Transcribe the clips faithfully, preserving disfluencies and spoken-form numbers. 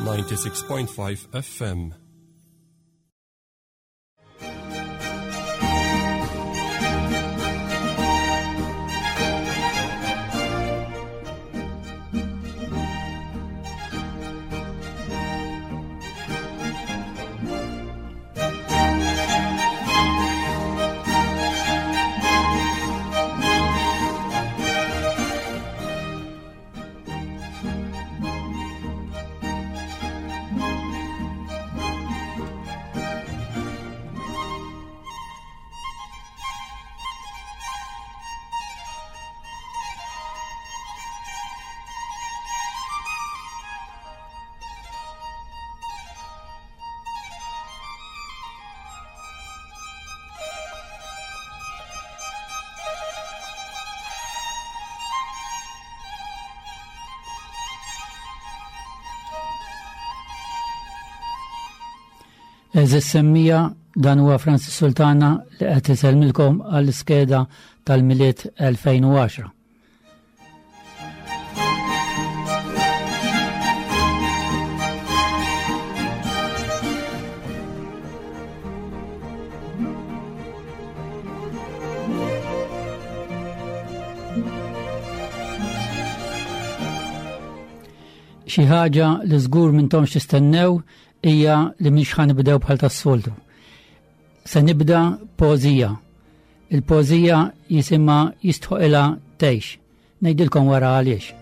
ninety-six point five F M. Eżis semmija, dan huwa Francis Sultana li qed isellmilkom għall-iskeda tal-Milied elfejn u għaxra. Xi ħaġa li żgur m'intomx tistennew hija li mhix ħa nibdew bħal tas-soltu. Se nibda poeżija. Il-poeżija jisimha Jistħoqilha Tgħix. Ngħidilkom wara għaliex.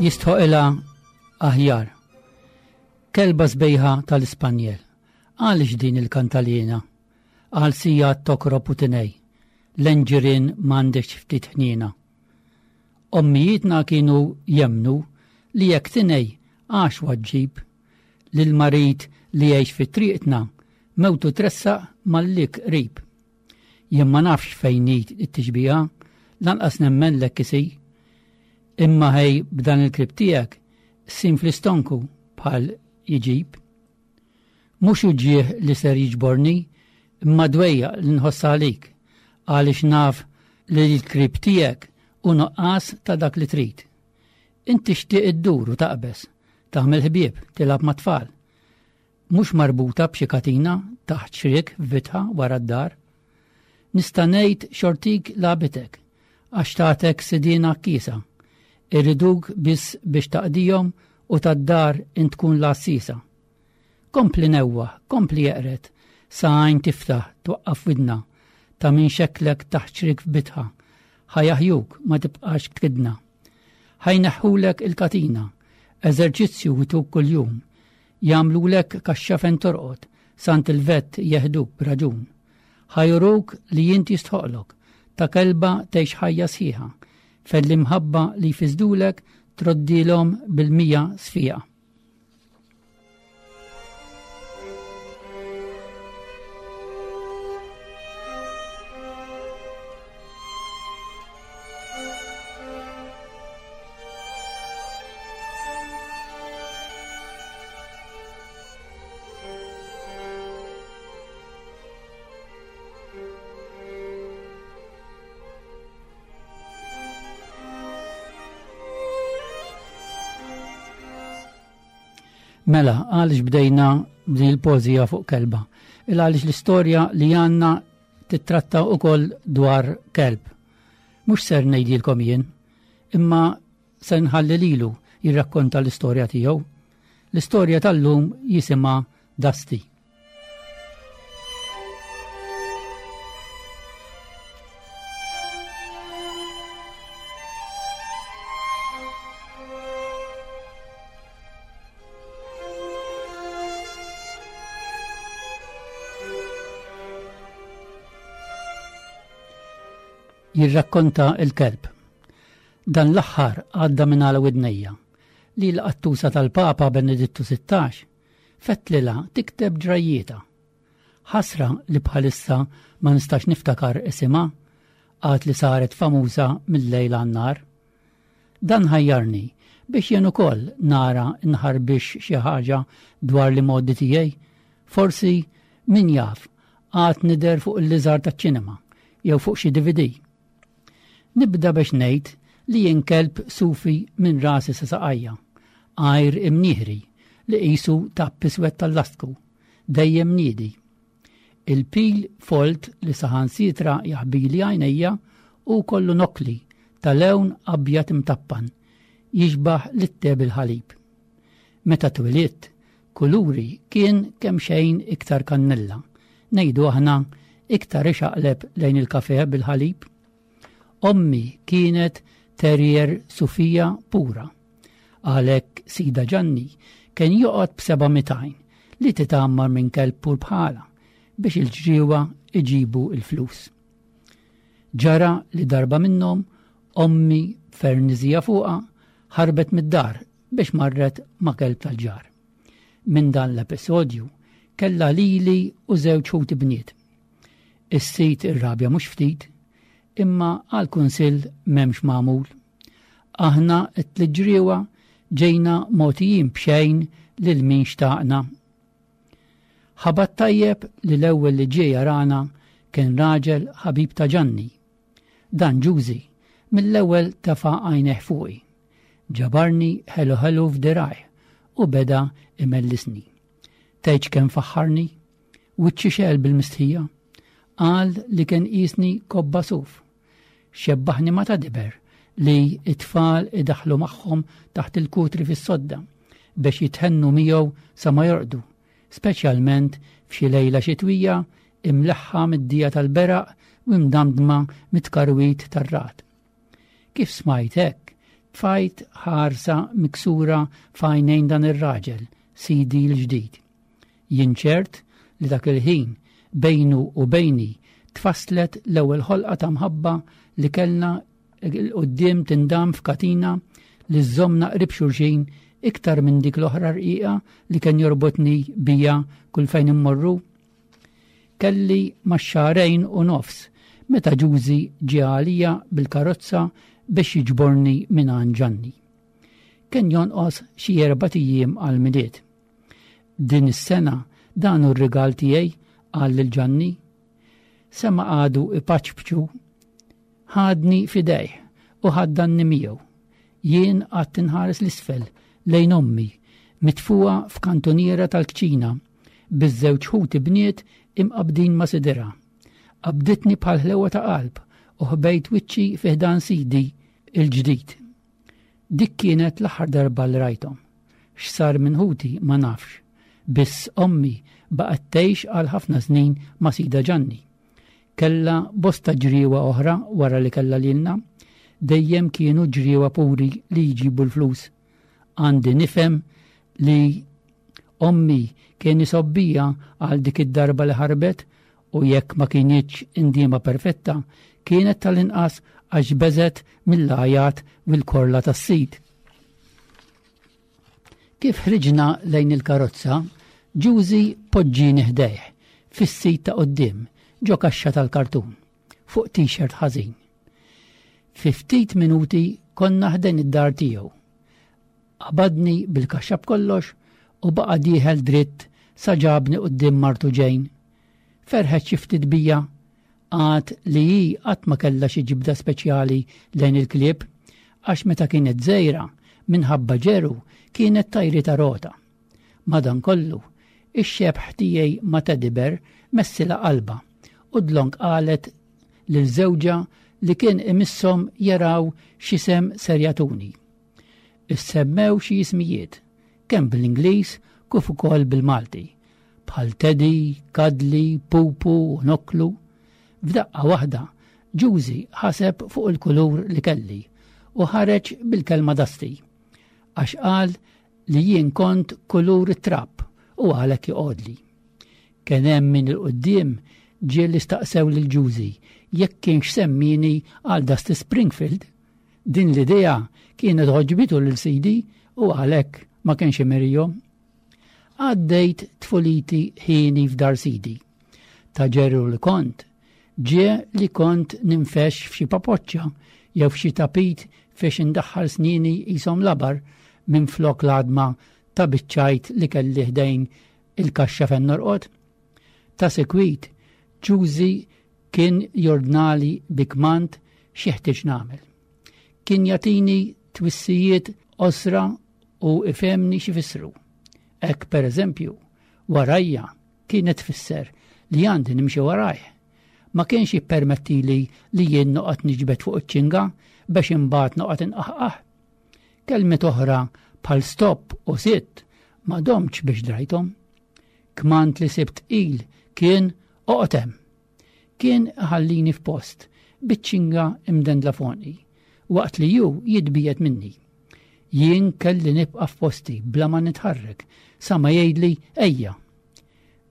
Jistħoqilha aħjar. Kelba sbejħa tal-Ispanjel. Għaliex din il-kantalina? Għal sija tokrob u tinej. L-enġirin m'għandekx ftit ħniena. Ommijietna kienu jemnu li jekk tinej għax waġġib lil marid li jgħix fi triqtna mewtu tressaq mal-lik qrib. Jien ma nafx fejn hi t-tixbiha, lanqas nemmen lek isi. Imma ħej b'dan il-krib tiegħek sim fl-istonku bħal jġib. Mhux uġieħ li ser jiġborni, imma dwejja li nħoss għalik, għaliex naf li l-krib tiegħek u nuqqas ta' dak li trid. Inti xtieq iddur u taqbeż, taħmel ħbieb, tilgħab mat-tfal. Mhux marbuta b'xi katina taħt xriek f'bitħa wara d-dar. Nista' ngħid xortik labitek, għax tagħtek sidina kisa. Irriduk biss biex taqdihom u tad-dar int tkun l-għassisa. Kompli newwa, kompli jeqret, sa għajn tiftaħ, twaqqaf widna, ta' min xeklek taħt xrik f'bitħa, ħajaħjuk ma tibqax tkidna. Ħajneħħulek il-katina, eżerċizzju jtuk kuljum, jagħmlulek kaxxa fejn torqod, sant il-vett jeħduk b'raġun. Ħajruk li int jistħoqlok, ta' kelba tgħix ħajja sħiħa, fejn l-imħabba li jfiżdulek troddilhom bil-mija sfija. Mela, għaliex bdejna b'din il-poeżija fuq kelba? Il għaliex l-istorja li għandna titratta wkoll dwar kelb. Mhux ser ngħidilkom jien, imma se nħalli lilu jirrakkonta l-istorja tiegħu. L-istorja tal-lum jisimha Dusty. Jirrakkonta il-kelb. Dan l-aħħar għadda minn għal widnejja li l-qattusa tal-Papa Benedittu sittax fetlilha tikteb ġrajjieta. Ħasra li bħalissa ma nistax niftakar isimha, għad li saret famuża mill-lejl għan-nar. Dan ħajjarni biex jien ukoll nara nħarbix xi ħaġa dwar l-imgħoddi tiegħi. Forsi min jaf għad nidher fuq il-liżar taċ-ċinema jew fuq xi D V D. Nibda biex ngħid li jien kelb sufi minn rasi sa saqajja, għajr imnieħri li qisu tapp iswed tal-lastku, dejjem niedi. Il-pil folt li saħansitra jaħbili għajnejja u kollu nokli ta' lewn abjad imtappan, jixbaħ lit-te bil-ħalib. Meta twelidt, kuluri kien kemm xejn iktar kannella, ngħidu aħna iktar ixaqleb lejn il-kafe bil-ħalib. Ommi kienet terrier sufija pura. Għalhekk sidha Ġanni kien joqgħod b'seba' mitt għajn li titgħammar minn kelb pur bħala biex il-ġriewa iġibu il-flus. Ġara li darba minnhom ommi fernizija fuqa ħarbet mid-dar biex marret ma' kelb tal-ġar. Minn dan l-episodju kella lili u żewġ ħuti bniet. Is-sid irrabja mhux ftit, imma għal kunsill m'hemmx magħmul. Aħna t-tliet ġejna mogħtijin b'xejn lil min xtaqna. Ħabat tajjeb li l-ewwel li ġie jarana kien raġel ħabib ta' Ġanni. Dan Ġużi mill-ewwel tefa' għajnejh fuqi. Ġabarni ħelu ħelu f'dirajh u beda imellisni. Tgħidx kemm faħħarni, wiċċi xegħel bil-mistħija. Qal li kien qisni kobba suf. Xebbaħni ma' teddy bear li it-tfal idaħlu magħhom taħt il-kutri fis-sodda biex jithennu miegħu sa ma jorqdu, speċjalment f'xi lejla xitwija imleħħa mid-dija tal-beraq u imdamdma mit-tkarwit tar-ragħad. Kif smajt hekk, tfajt ħarsa miksura f'għajnejn dan ir-raġel, sidi l-ġdid. Jien ċert li dak il-ħin bejnu u bejni tfasslet l-ewwel ħolqa ta' mħabba li kellna 'l quddiem tindam f'katina li żżommna qrib xulxin iktar minn dik l-oħra rqiqa li kien jorbotni bija kull fejn immorru. Kelli ma' xahrejn u nofs meta Ġużi ġie għalija bil-karozza biex jiġborni minn għand Ġanni. Kien jonqos xi erbat ijiem għall-Milied. "Din is-sena dan hu r-rigal tiegħi," qal lil Ġanni. Sema għadu ipaċpċu, ħadni f'idejh u ħaddanni miegħu. Jien qgħadt inħares 'l isfel lejn ommi mitfuqa f'kantoniera tal-kċina biż-żewġ ħuti bniet imqabdin ma' sidira. Qabditni bħal ħlewa ta' qalb u ħbejt wiċċi fi ħdan sidi il-ġdid. Dik kienet l-aħħar darba li rajthom. X'sar minn ħuti ma nafx. Biss ommi baqgħet tgħix għal ħafna snin ma' sidha Ġanni. Kella bosta ġriewa oħra wara li kella lilna, dejjem kienu ġriewa puri li jġibu l-flus. Għandi nifhem li ommi kien isobbija għal dik id-darba li ħarbet u jekk ma kinitx indiema perfetta, kienet tal-inqas għax beżgħet mill-għajat u l-korla tas-sid. Kif ħriġna lejn il-karozza, Ġużi poġġini ħdejh fis-seat ta' quddiem ġo kaxxa tal-kartun fuq t-shirt ħażin. Fi ftit minuti konna ħdejn id-dar tiegħu. Qabadni bil-kaxxa b'kollox u baqa' dieħel dritt sa ġabni quddiem martu Ġejn. Ferħet xi ftit bija għad li hi qatt ma kellha xi ġibda speċjali lejn il-klieb għax meta kienet żgħira minħabba ġeru kienet tajritha rota. Madankollu, ix-xebħ tiegħi ma' teddy bear messilha qalbha u dlonk qalet lil żewġha li kien imisshom jaraw x'isem ser jagħtuni. Issemmew xi ismijiet, kemm bil-Ingliż kif ukoll bil-Malti, bħal Teddy, Kadli, Pupu u Noklu. F'daqqa waħda, Ġużi ħaseb fuq il-kulur li kelli u ħareġ bil-kelma Dusty, għax qal li jien kont kulur it-trab u għalhekk joqgħodli. Kien hemm min 'il quddiem ġie li staqsew lil Ġużi jekk kienx semmini għal Dusty Springfield. Din l-idea kienet għoġbitu lil sidi u għalhekk ma kienx imerihom. Għaddejt tfuliti ħini f'dar sidi. Ta' ġeru li kont, Ġie li kont ninfex f'xi papoċċa jew f'xi tapit fex indaħħal snini jisom labar minn flok l-għadma ta' biċċajt li kelli ħdejn il-kaxxa fejn norqod. Ta' sekwit, Ġużi kien jordnali bi kmand x'jeħtieġ nagħmel. Kien jagħtini twissijiet qosra u ifhemni x'ifissru. Hekk pereżempju, warajja kienet tfisser li għandi nimxi warajh. Ma kienx jippermettili li jien noqgħod niġbed fuq iċ-ċinga biex imbagħad noqgħod inqaħqaħ. Kelmiet oħra bħal stop u sit ma domtx biex drajthom. Kmand li sibt tqil kien oqgħod hemm. Kien ħallini f'post biċ-ċinga imdendla f'għonqi, waqt li ju jitbiegħed minni. Jien kelli nibqa' f'posti bla ma nitħarrek sa ma jgħidli ejja.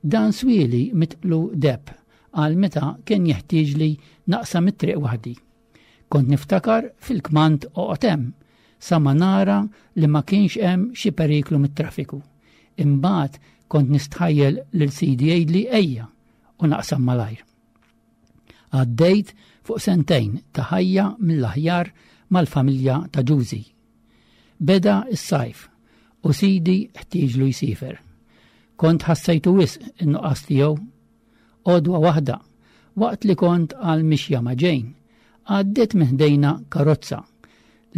Dan swieli mitqlu deb għal meta kien jeħtieġli naqsam it-triq waħdi. Kont niftakar fil-kmand oqgħod hemm sa ma nara li ma kienx hemm xi periklu mit-traffiku. Imbagħad kont nistħajjel lil sidi jgħidli ejja u naqsam malajr. Għaddejt fuq sentejn ta' ħajja mill-aħjar mal-familja ta' Ġużi. Beda s-sajf u sidi ħtieġlu jsifer. Kont ħassejtu wisq in-nuqqas tiegħu. Għodwa waħda, waqt li kont għal mixja ma' Jane, għaddiet minn ħdejna karozza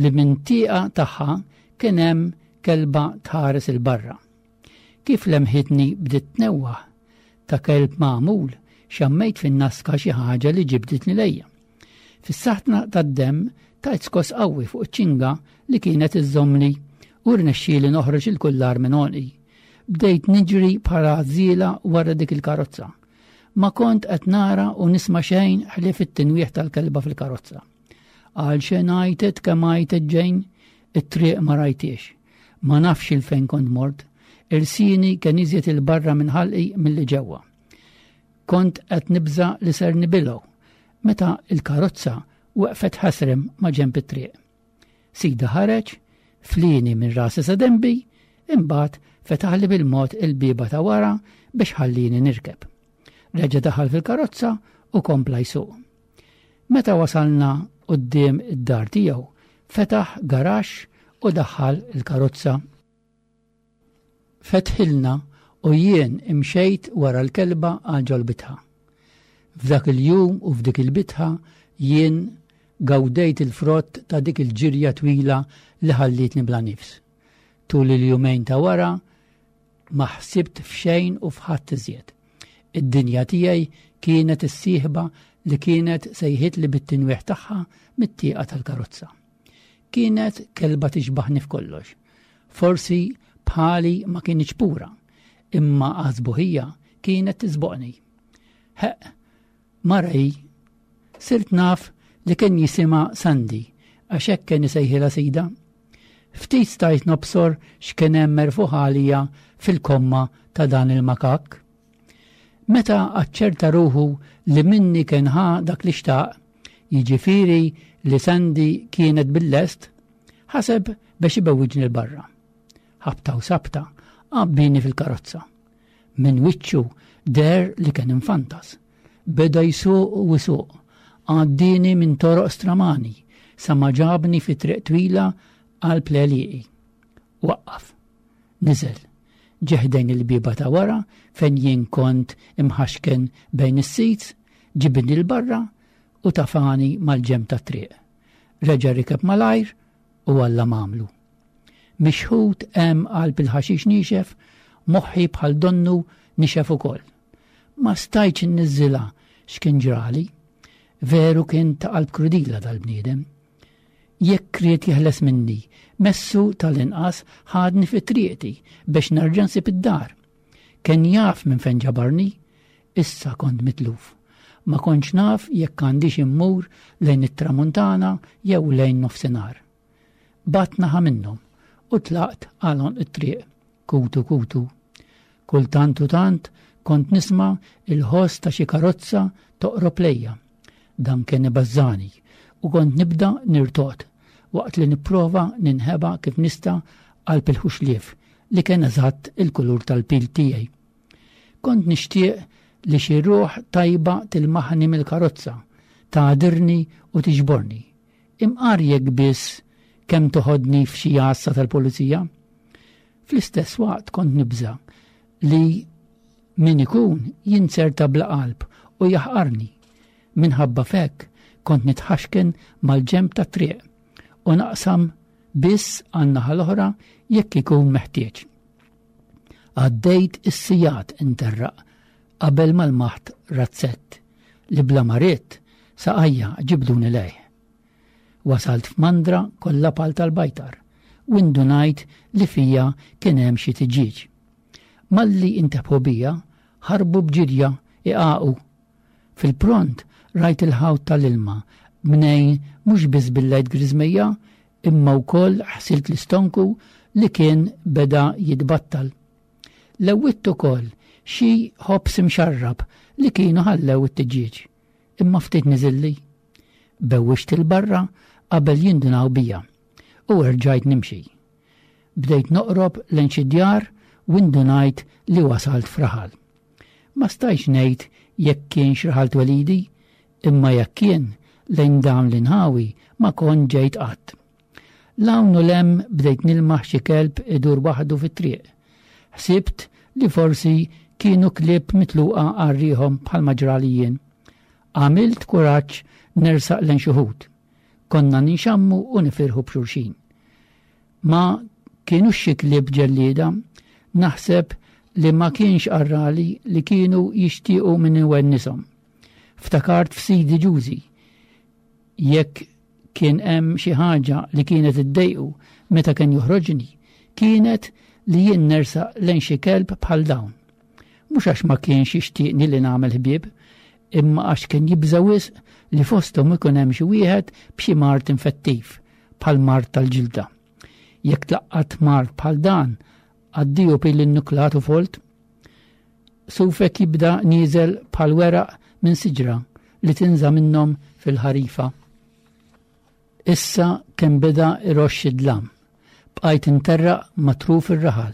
li minn tieqa tagħha kien hemm kelba tħares 'il barra. Kif lemħitni bdiet tnewwaħ ta' kelb magħmul, xammejt fin-naska xi ħaġa li ġibditni lejja. Fis-saħtna tad-demm tajt skos qawwi fuq iċ-ċinga li kienet iżżommni u rnexxieli noħroġ il-kullar minn għonqi. Bdejt niġri bħala żiela wara dik il-karozza. Ma kont qed nara u nisma' xejn ħlief it-tinwieħ tal-kelba fil-karozza. Għal xejn għajtet kemm għajtet Jane, it-triq ma rajtiex. Ma nafx il fejn kont mort, ilsieni kien iżjed 'il barra minn ħalqi milli ġewwa. Kont qed nibża li ser nibilgħu meta il-karozza waqfet ħasrem ma' ġenb it-triq. Sida ħareġ, flini minn rasi sa denbi, imbagħad fetaħli bil-mod il-bieba ta' wara biex ħallini nirkeb. Reġa' daħal fil-karozza u kompla jsuq. Meta wasalna quddiem id-dar tiegħu, fetaħ garaxx u daħħal il-karozza. Fetħilna u jien imxejt wara l-kelba għal ġol-bitħa. F'dak il-jum u f'dik il-bitħa jien gawdejt il-frott ta' dik il-ġirja twila li ħallitni bla nifs. Tul il-jumejn ta' wara ma ħsibt f'xejn u f'ħadd iżjed. Id-dinja tiegħi kienet is-sieħba li kienet sejħitli bit-tinwieħ tagħha mit-tieqa tal-karozza. Kienet kelba tixbaħni f'kollox. Forsi bħali ma kienx pura, imma għażbuħija kienet tiżboqni. Heq, mara hi, sirt naf li kien jisimha Sandy, għax hekk kien isejħilha sida. Ftit stajt nobsor x'kien hemm merfuħ għalija fil-komma ta' dan il-makak. Meta aċċerta ruħu li minni kien ħa dak li xtaq, jiġifieri li Sandy kienet bil-lest, ħaseb biex ibewwiġni l-barra. Ħabta u sabta, għabbini fil-karozza. Minn wiċċu der li kien infantas. Beda jsuq u jsuq, għaddini minn toroq stramani, sa ma ġabni fi triq twila għal pleliqi. Waqqaf, niżel, ġeħdejn il-bieba ta' wara fejn jien kont imħaxken bejn is-seats, ġibni l-barra u tafani mal-ġenb tat-triq. Reġa' rikeb malajr u Alla m'għamlu. Mixħut hemm qalb il-ħaxix niexef, moħħi bħal donnu nixef ukoll. Ma stajtx inniżżilha x'kien ġrali. Veru kien ta' qalb krudila dal-bniedem. Jekk ried jeħles minni, messu tal-inqas ħadni fi triqti biex nerġa' nsib id-dar. Kien jaf minn fejn ġabarni, issa kont mitluf. Ma kontx naf jekk għandix immur lejn it-tramuntana jew lejn nofsinhar. Bat naħa minnhom u tlaqt għal it-triq, kutu kutu. Kultant u tant kont nisma' il-ħoss ta' xi karozza toqrob lejja. Dan kien ibażżani u kont nibda nirtot waqt li nipprova ninħeba kif nista' qalb il-ħuxlief li kien eżatt il-kulur tal-pil tiegħi. Kont nixtieq li xi ruħ tajba tilmaħni mill-karozza, tagħdirni u tiġborni. Imqar jekk biss kemm toħodni f'xi għassa tal-pulizija. Fl-istess waqt kont nibża li min ikun jinzerta bla qalb u jaħqarni. Minħabba fek kont nitħaxken mal-ġenb tat-triq u naqsam biss għan-naħa l-oħra jekk ikun meħtieġ. Għaddejt is-sigħat interraq qabel ma lmaħt razzett li bla ma ridt saqajja ġibduni lejh. Wasalt f'mandra kollha pal tal-bajtar u indunajt li fija kien hemm xi tiġieġ. Malli intebħu bija, ħarbu b'ġirja iqaqu. Fil-pront rajt il-ħawt tal-ilma mnejn mhux biss billajt griżmejja imma wkoll ħsilt l-istonku li kien beda jitbattal. Lewwitt ukoll xi ħobż imxarrab li kienu ħallew it-tiġieġ, imma ftit niżilli. Bewwixt il-barra qabel jindunaw bija u rġajt nimxi. Bdejt noqrob lejn xi djar u indunajt li wasalt f'raħal. Ma stajx ngħid jekk kienx raħal twelidi, imma jekk kien lejn dawn l-inħawi ma kont ġejt qatt. L-hawn u 'l hemm bdejt nilmaħ xi kelb idur waħdu fit-triq. Ħsibt li forsi kienu klieb mitluqa għal riħhom bħalma ġrali jien. Għamilt kuraġġ nersaq lejn xi wħud. Konna ninxammu u nifirħu b'xulxin. Ma kienu xi klieb ġellieda, naħseb li ma kienx qarrali li kienu jixtiequ minn iwennisom. Ftakart f'sidi Ġużi. Jekk kien hemm xi ħaġa li kienet iddejqu meta kien joħroġni, kienet li jien nersaq lejn xi kelb bħal dawn. Mhux għax ma kienx jixtieqni li nagħmel ħbieb, imma għax kien jibża' wisq li fosthom ikun hemm xi wieħed b'xi mard infettiv bħal mard tal-ġilda. Jekk tlaqqat mard bħal dan, għaddiju pil nuklat u folt. Sufek jibda nieżel bħal weraq minn siġra li tinża minnhom fil-ħarifa. Issa kemm beda iroxx id-dlam. Bqajt interraq ma' truf ir-raħal.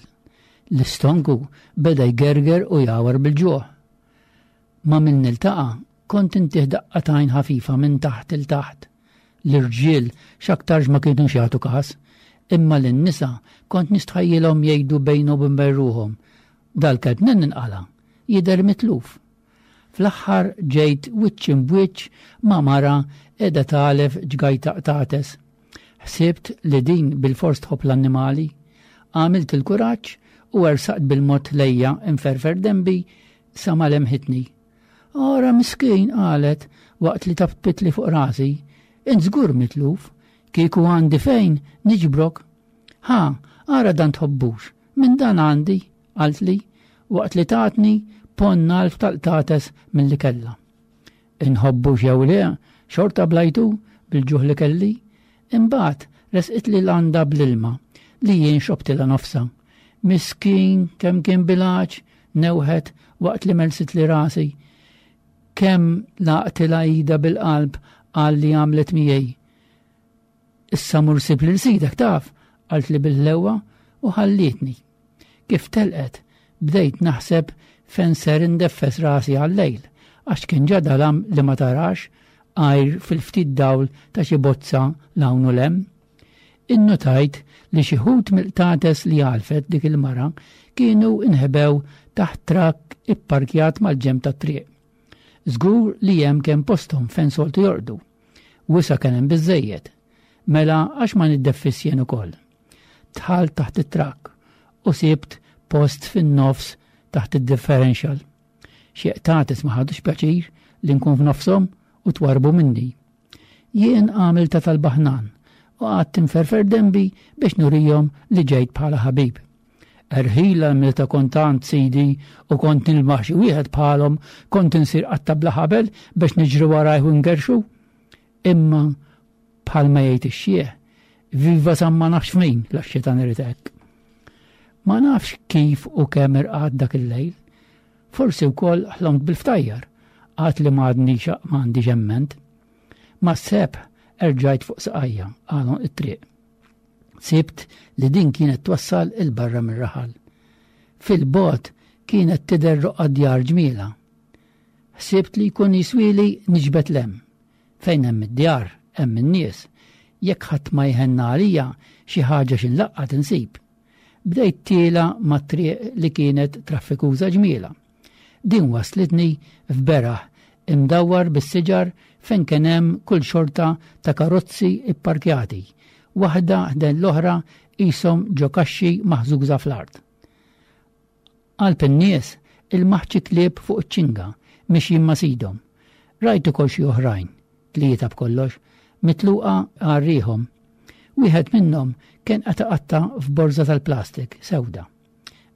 L-istonku beda jgerger u jawar bil-ġuħ. Ma' min niltaqa' kont intih daqqa t'għajn ħafifa minn taħt 'il taħt. L-irġiel x'aktarx ma kienux jagħtu każ, imma lin-nisa kont nistħajjilhom jgħidu bejnhom u bejn ruħhom. Dal-kelb mnejn inqala', jidher mitluf. Fl-aħħar ġejt wiċċ imb'wiċċ ma' mara qiegħda tagħlef ġgajta qtates. Ħsibt li din bil-fors tħobb l-annimali. Għamilt il-kuraġġ u ersaqt bil-mod lejja inferfer denbi sa ma lemħitni. Ora miskin, qalet waqt li taptipli fuq rasi. Int żgur mitluf, kieku għandi fejn niġbrok. Ha, ara dan tħobbux, minn dan għandi, qaltli, waqt li tatni ponn għalf tal-qtates mill-li kella. Inħobbu jew le, xorta blajtu bil-ġuħ li kelli, imbagħad resqitli landa bl-ilma li jien xrobtilha nofsha. Miskin kemm kien bil-għatx, newħet waqt li melsitli rasi. Kemm laqtilha idha bil-qalb għal li għamlet miegħi. Issa mur sib lil sidek taf, qaltli bil-ħlewa u ħallietni. Kif telqet, bdejt naħseb fejn ser indeffes rasi għal-lejl, għax kien ġa dalam li ma tarax għajr fil-ftit dawl ta' xi bozza 'l hawn u 'l hemm. Innotajt li xi wħud mill-qtates li għalfet dik il-mara kienu inħebew taħt trakk ipparkjat mal-ġenb tat-triq. Żgur li hemm kemm posthom fejn soltu jorqdu. Wisa' kien hemm biżejjed. Mela għax ma niddeffis jien ukoll. Dħalt taħt it-trakk u sibt post fin-nofs taħt id-differential. Xi qtates ma ħadux pjaċir li nkun f'nofshom u twarbu minni. Jien għamilta tal-baħnan u qgħadt inferfer denbi biex nurijhom li ġejt bħala ħabib. Erħila meta kont għand sidi u kont nilmaħ xi wieħed bħalhom kont insir qatta bla ħabel biex niġri warajh u ngerxu. Imma bħalma jgħid ix-xieħ, viva San ma nafx min la x-xitan irid hekk. Ma nafx kif u kemm irqadt dak il-lejl. Forsi wkoll ħlomt bil-ftajjar, għad li ma għadni ma għandi ġemment. Ma seb erġajt fuq saqajja għalon it-triq. Sibt li din kienet twassal 'il barra mir-raħal. Fil-bogħod kienet tidher roqgħa djar ġmiela. Ħsibt li jkun jiswili niġbed 'l hemm. Fejn hemm id-djar, hemm in-nies. Jekk ħadd ma jħenna għalija xi ħaġa xi nlaqqat insib. Bdejt tiela mat-triq li kienet traffikuża ġmiela. Din waslitni f'beraħ imdawwar bis-siġar fejn kien hemm kull xorta ta' karozzi ipparkjati, waħda ħdejn l-oħra qishom ġo kaxxi maħżuża fl-art. Qalb in-nies ilmaħt xi klieb fuq iċ-ċinga mixjin ma' sidhom. Rajt ukoll xi oħrajn, tlieta b'kollox, mitluqa għal riħhom. Wieħed minnhom kien qed iqatta' f'borża tal-plastik sewda.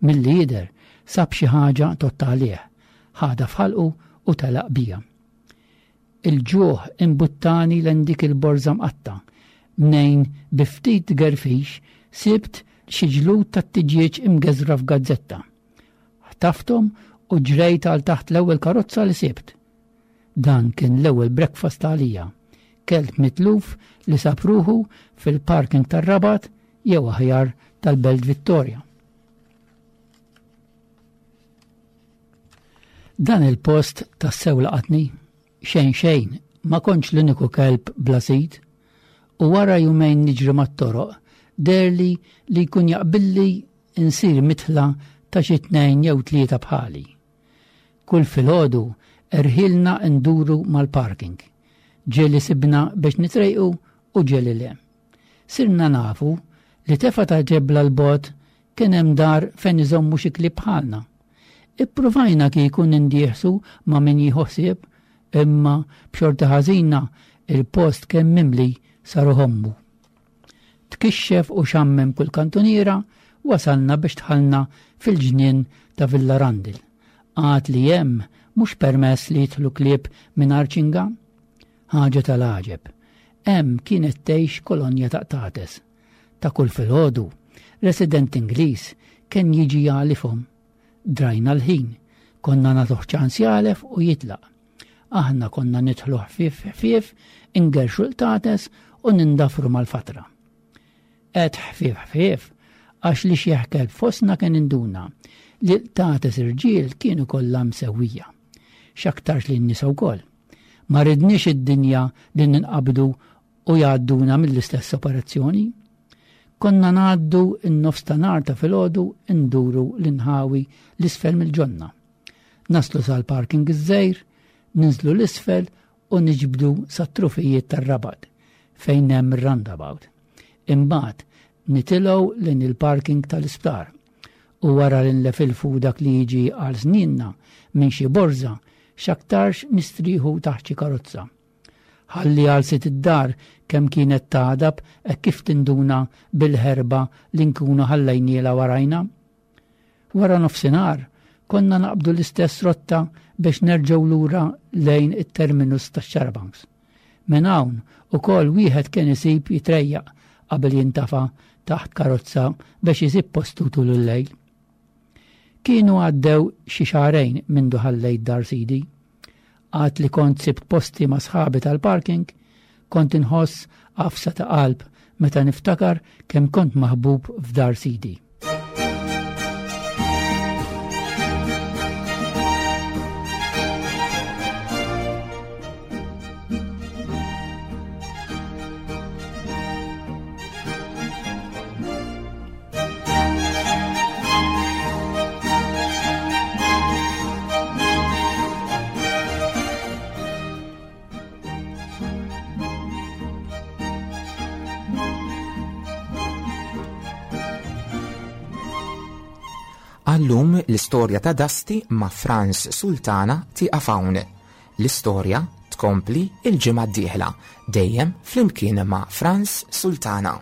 Milli jidher sab xi ħaġa tgħodd għalih, ħadha f'ħalqu u telaq bija. Il-ġuħ imbuttani lejn dik il-borża mqatta', mnejn bi ftit gerfix sibt xi ġlud tat-tiġieġ imgeżra f'gazzetta. Ħtafthom u ġrejt għal taħt l-ewwel karozza li sibt. Dan kien l-ewwel breakfast għalija. Kelb mitluf li sab ruħu fil-parking tar-Rabat jew aħjar tal-Belt Vittoria. Dan il-post tassew laqatni. Xejn xejn, ma kontx l-uniku kelb bla sid. U wara jumejn niġri mat-toroq, deherli li jkun jaqbilli insir mitħla ta' xi tnejn jew tlieta bħali. Kull filgħodu erħilna nduru mal-parking. Ġieli sibna biex nitrejqu u ġieli le. Sirna nafu li tefa ta' ġebla l-bot kien hemm dar fejn iżommu xi klieb bħalna. Ippruvajna kieku nindieħsu ma' min jieħu ħsieb, imma b'xorti ħażina il-post kemm mimli saru ħommu. Tkixxef u xammem kull kantuniera, wasalna biex dħalna fil-ġnien ta' Villa Randil. Għad li hemm mhux permess li jidħlu klieb mingħajr ċinga? Ħaġa tal-għaġeb. Hemm kienet tgħix kolonja ta' qtates. Ta' kull filgħodu, resident Ingliż kien jiġi jagħlifhom. Drajna l-ħin, konna nagħtuh ċans jagħlef u jitlaq. Aħna konna nidħlu ħfief ħfief, ingerxu l-qtates u nindafru mal-fatra. Qed ħfief ħfief, għax li xi kelb fostna kien induna li l-qtates irġiel kienu kollha msewwija. X'aktarx li n-nisa wkoll. Ma ridniex id-dinja li ninqabdu u jgħadduna mill-istess operazzjoni. Konna ngħaddu n-nofs ta' nhar ta' filgħodu nduru l-inħawi l-isfel mill-ġonna. Naslu sal-parking iż-żejr, ninżlu l-isfel u niġbdu sat-trufijiet tar-Rabat fejn hemm ir-roundabout. Imbagħad nitilgħu lejn il-parking tal-isptar u wara li nlefilfu dak li jiġi għal sninna minn xi borża x'aktarx nistrieħu taħt xi karozza. Ħalli għal sit id-dar kemm kienet tagħdab hekk kif tinduna bil-ħerba li nkunu ħallejnielha warajna. Wara nofsinhar konna naqbdu l-istess rotta biex nerġgħu lura lejn it-terminus tax-Xarabanks. Minn hawn ukoll wieħed kien isib jitrejjaq qabel jintafa taħt karozza biex isib postu tul il-lejl. Kienu għaddew xi xahrejn mindu ħallejt dar sidi. Għad li kont sibt posti ma' sħabi tal-parking, kont inħoss għafsa ta' qalb meta niftakar kemm kont maħbub f'dar sidi. Għallum l-istorja ta' Dusty ma' Frans Sultana tieqaf hawn. L-istorja tkompli il-ġimgħa d-dieħla, dejjem flimkien ma' Frans Sultana.